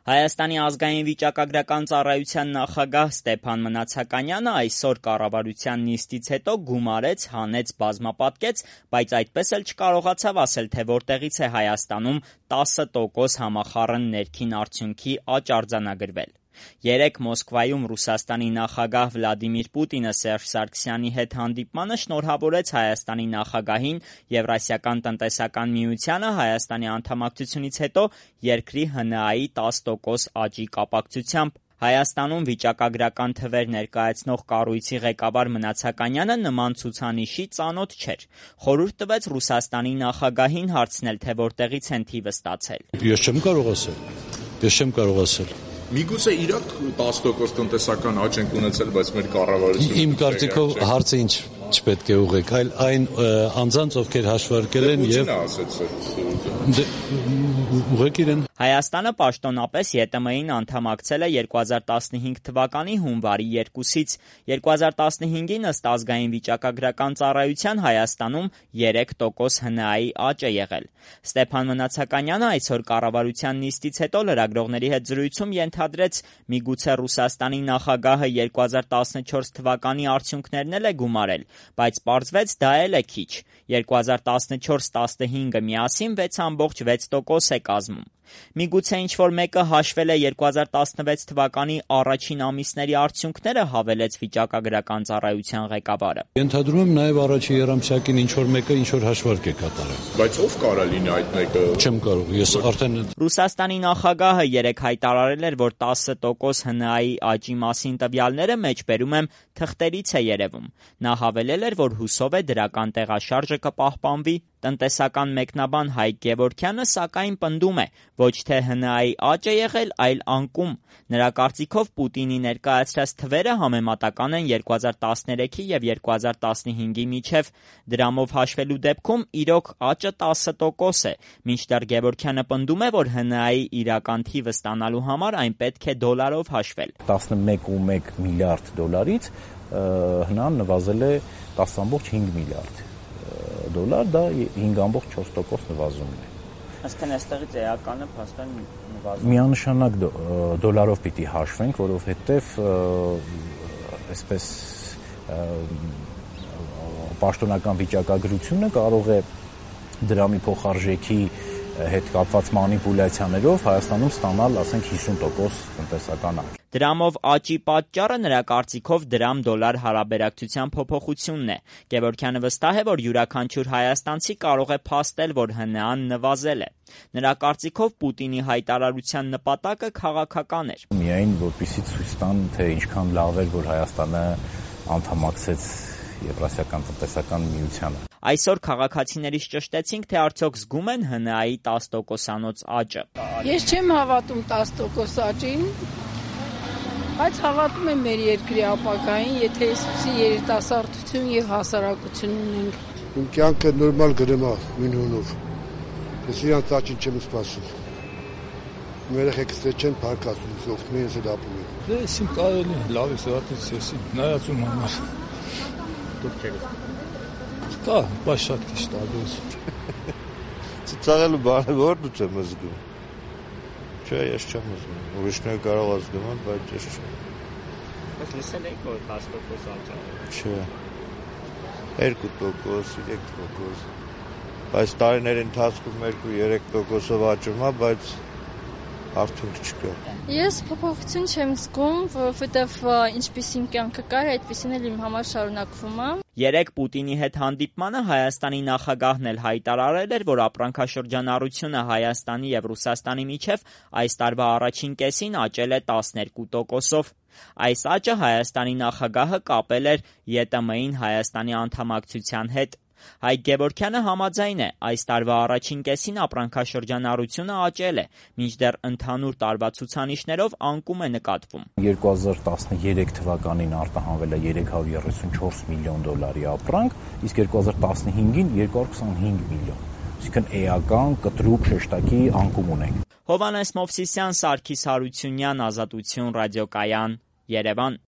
Հայաստանի ազգային վիճակագրական ծառայության նախագահ Ստեփան Մնացականյանը այսօր կառավարության նիստից հետո գումարեց, հանեց, բազմապատկեց, բայց այդպես էլ չկարողացավ ասել, թե որտեղից է Հայաստանում 10% համախառն ներքին արդյունքի աճ արձանագրվել։ Երեկ Մոսկվայում Ռուսաստանի նախագահ Վլադիմիր Պուտինը Սերժ Սարգսյանի հետ հանդիպմանը շնորհավորեց Հայաստանի նախագահին Եվրասիական տնտեսական միությանը Հայաստանի անդամակցությունից հետո երկրի ՀՆԱ-ի 10% աճի կապակցությամբ։ Հայաստանում վիճակագրական թվեր ներկայացնող կառույցի ղեկավար Մնացականյանը նման ցուցանիշի ծանոթ չէր։ Խորհուրդ տվեց Ռուսաստանի նախագահին հարցնել, թե որտեղից են թիվը ստացել։ Ես չեմ կարող ասել։ Միգուցե իրոք 10% տնտեսական աճ ենք ունեցել, բայց մեր կառավարությունը Իմ կարծիքով հարցը ինչ չպետք է ուղղեք, այլ այն անձանց, ովքեր հաշվարկել են եւ ուղղեք իրեն։ Հայաստանը պաշտոնապես ԵՏՄ-ին անդամակցել է 2015 թվականի հունվարի 2-ից։ 2015-ին ըստ ազգային վիճակագրական ծառայության Հայաստանում 3% ՀՆԱ-ի աճ է եղել։ Ստեփան Մնացականյանը այսօր կառավարության նիստից հետո լրագրողների հետ զրույցում ենթադրեց, միգուցե Ռուսաստանի նախագահը 2014 թվականի արդյունքներն էլ է գումարել, բայց պարզվեց դա էլ է քիչ։ 2014-15-ը միասին 6.6% է կազմում։ Միգուցե ինչ-որ մեկը հաշվել է 2016 թվականի առաջին ամիսների արդյունքները, հավելեց վիճակագրական ծառայության ղեկավարը։ Ենթադրում եմ նաև առաջին եռամսյակին ինչ-որ մեկը ինչ-որ հաշվարկ է կատարել։ Բայց ով կարա լինի այդ մեկը։ Չեմ կարող, ես արդեն Ռուսաստանի նախագահը երեկ հայտարարել էր, որ 10% ՀՆԱ-ի աճի մասին տվյալները մեջբերում եմ թղթերից է երևում։ Նա հավելել էր, որ հուսով է դրական տեղաշարժը կպահպանվի։ Տնտեսական մեկնաբան Հայկ Գևորգյանը սակայն պնդում է, ոչ թե ՀՆԱ-ի աճ է եղել, այլ անկում։ Նրա կարծիքով Պուտինի ներկայացրած թվերը համեմատական են 2013-ի եւ 2015-ի միջև։ Դրամով հաշվելու դեպքում իրոք աճը 10% է, մինչդեռ Գևորգյանը պնդում է, որ ՀՆԱ-ի իրական թիվը ստանալու համար այն պետք է դոլարով հաշվել։ 11.1 միլիարդ դոլարից ՀՆԱ-ն նվազել է 10.5 միլիարդ դոլար, դա 5.4% նվազում է։ Այսինքն այստեղից էականը փաստորեն նվազում է։ Միանշանակ դոլարով պիտի հաշվենք, որովհետև այսպես պաշտոնական վիճակագրությունը կարող է դրամի փոխարժեքի հետ կապված մանիպուլյացիաներով Հայաստանում ստանալ, ասենք 50% տնտեսական աճ։ Դրամով աճի պատճառը նրա կարծիքով դրամ-դոլար հարաբերակցության փոփոխությունն է։ Գևորգյանը վստահ է, որ յուրաքանչյուր հայաստանցի կարող է փաստել, որ ՀՆԱ-ն նվազել է։ Նրա կարծիքով Պուտինի հայտարարության նպատակը քաղաքական էր։ Միայն որպեսզի ցույց տան, թե ինչքան լավ էր, որ Հայաստանը անդամակցեց Եվրասիական տնտեսական միությանը։ Այսօր քաղաքացիներից ճշտեցինք, թե արդյոք զգում են ՀՆԱ-ի 10%-անոց աճը։ Ես չեմ հավատում 10% աճին, բայց հավատում եմ մեր երկրի ապագային, եթե այսպիսի երիտասարդություն եւ հասարակություն ունենք։ Իմ կյանքը նորմալ գրեմա մինունով։ Ես իրանց աճին չեմ սպասում։ Երեխեքս չեն փարկացում, օգնում են ես ապրում եմ։ Դե իմ կարելի լավ է սրատից ես նայածում համար։ Դուք չեք։ Կա, բայց շատ քիչ տարբերություն։ Ծաղալու բանը որն ու չեմ զգում։ Չէ, ես չեմ զգում։ Ուրիշները կարող է զգում, բայց ես չեմ։ Բայց լսել եք, որ 10% աճ է։ Չէ։ 2%, 3%։ Բայց տարիների ընթացքում 2-3%-ով աճում է, բայց արդյունք չկա։ Ես փոփոխություն չեմ զգում, որովհետև ինչպիսին կյանքը կար, այդպիսին էլ իմ համար շարունակվում է։ Երեկ Պուտինի հետ հանդիպմանը Հայաստանի նախագահն էլ հայտարարել էր, որ ապրանքաշրջանառությունը Հայաստանի եւ Ռուսաստանի միջև այս տարվա առաջին կեսին աճել է 12%-ով։ Այս աճը Հայաստանի նախագահը կապել էր ԵՏՄ-ին Հայաստանի անդամակցության հետ։ Հայկ Գևորգյանը համաձայն է, այս տարվա առաջին կեսին ապրանքաշրջանառությունը աճել է, մինչդեռ ընդհանուր տարվա ցուցանիշներով անկում է նկատվում։ 2013 թվականին արտահանվել է 334 միլիոն դոլարի ապրանք, իսկ 2015-ին 225 միլիոն։ Այսինքն էական կտրուկ շեշտակի անկում ունենք։ Հովհաննես Մովսիսյան, Սարգիս Հարությունյան, Ազատություն ռադիոկայան, Երևան։